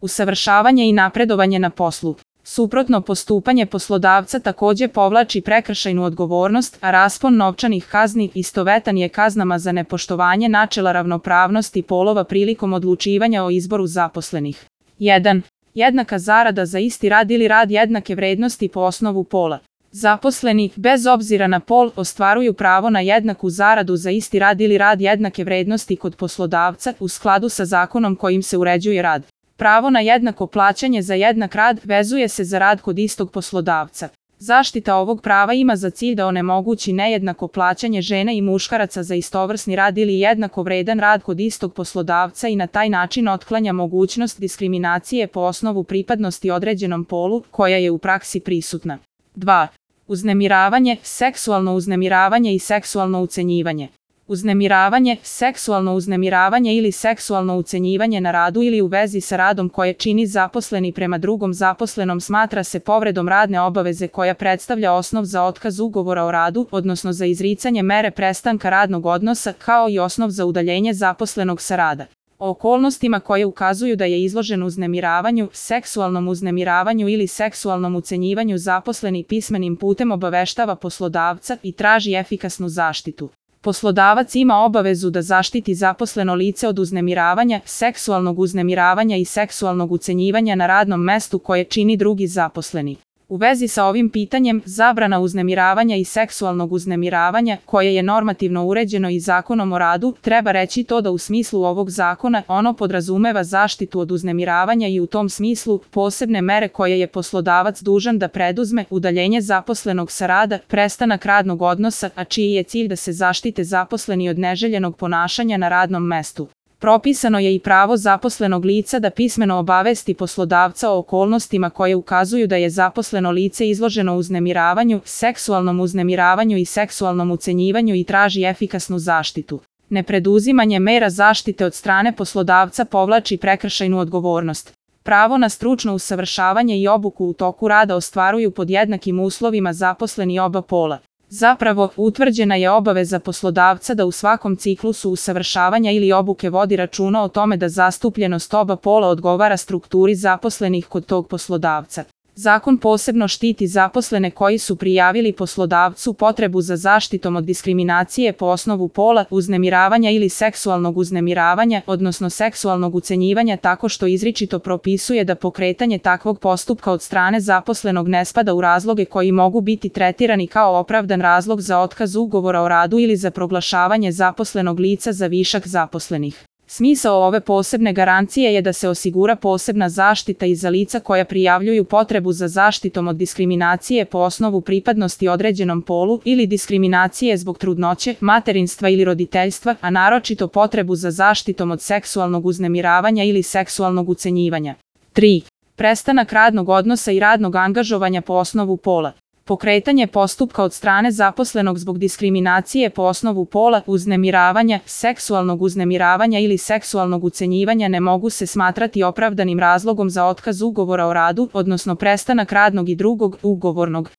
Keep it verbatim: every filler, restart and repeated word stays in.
Usavršavanje i napredovanje na poslu. Suprotno postupanje poslodavca takođe povlači prekršajnu odgovornost, a raspon novčanih kazni istovetan je kaznama za nepoštovanje načela ravnopravnosti polova prilikom odlučivanja o izboru zaposlenih. jedan. Jednaka zarada za isti rad ili rad jednake vrednosti po osnovu pola. Zaposleni, bez obzira na pol, ostvaruju pravo na jednaku zaradu za isti rad ili rad jednake vrednosti kod poslodavca u skladu sa zakonom kojim se uređuje rad. Pravo na jednako plaćanje za jednak rad vezuje se za rad kod istog poslodavca. Zaštita ovog prava ima za cilj da onemogući nejednako plaćanje žena i muškaraca za istovrsni rad ili jednako vredan rad kod istog poslodavca i na taj način otklanja mogućnost diskriminacije po osnovu pripadnosti određenom polu, koja je u praksi prisutna. dva. Uznemiravanje, seksualno uznemiravanje i seksualno ucenjivanje. Uznemiravanje, seksualno uznemiravanje ili seksualno ucenjivanje na radu ili u vezi sa radom koje čini zaposleni prema drugom zaposlenom smatra se povredom radne obaveze koja predstavlja osnov za otkaz ugovora o radu, odnosno za izricanje mere prestanka radnog odnosa, kao i osnov za udaljenje zaposlenog sa rada. O okolnostima koje ukazuju da je izložen uznemiravanju, seksualnom uznemiravanju ili seksualnom ucenjivanju zaposleni pismenim putem obaveštava poslodavca i traži efikasnu zaštitu. Poslodavac ima obavezu da zaštiti zaposleno lice od uznemiravanja, seksualnog uznemiravanja i seksualnog ucenjivanja na radnom mestu koje čini drugi zaposleni. U vezi sa ovim pitanjem, zabrana uznemiravanja i seksualnog uznemiravanja, koje je normativno uređeno i Zakonom o radu, treba reći to da u smislu ovog zakona ono podrazumeva zaštitu od uznemiravanja i u tom smislu posebne mere koje je poslodavac dužan da preduzme, udaljenje zaposlenog sa rada, prestanak radnog odnosa, a čiji je cilj da se zaštite zaposleni od neželjenog ponašanja na radnom mestu. Propisano je i pravo zaposlenog lica da pismeno obavesti poslodavca o okolnostima koje ukazuju da je zaposleno lice izloženo uznemiravanju, seksualnom uznemiravanju i seksualnom ucenjivanju i traži efikasnu zaštitu. Nepreduzimanje mera zaštite od strane poslodavca povlači prekršajnu odgovornost. Pravo na stručno usavršavanje i obuku u toku rada ostvaruju pod jednakim uslovima zaposleni oba pola. Zapravo, utvrđena je obaveza poslodavca da u svakom ciklusu usavršavanja ili obuke vodi računa o tome da zastupljenost oba pola odgovara strukturi zaposlenih kod tog poslodavca. Zakon posebno štiti zaposlene koji su prijavili poslodavcu potrebu za zaštitom od diskriminacije po osnovu pola, uznemiravanja ili seksualnog uznemiravanja, odnosno seksualnog ucenjivanja tako što izričito propisuje da pokretanje takvog postupka od strane zaposlenog ne spada u razloge koji mogu biti tretirani kao opravdan razlog za otkaz ugovora o radu ili za proglašavanje zaposlenog lica za višak zaposlenih. Smisao ove posebne garancije je da se osigura posebna zaštita i za lica koja prijavljuju potrebu za zaštitom od diskriminacije po osnovu pripadnosti određenom polu ili diskriminacije zbog trudnoće, materinstva ili roditeljstva, a naročito potrebu za zaštitom od seksualnog uznemiravanja ili seksualnog ucenjivanja. tri. Prestanak radnog odnosa i radnog angažovanja po osnovu pola. Pokretanje postupka od strane zaposlenog zbog diskriminacije po osnovu pola, uznemiravanja, seksualnog uznemiravanja ili seksualnog ucenjivanja ne mogu se smatrati opravdanim razlogom za otkaz ugovora o radu, odnosno prestanak radnog i drugog ugovornog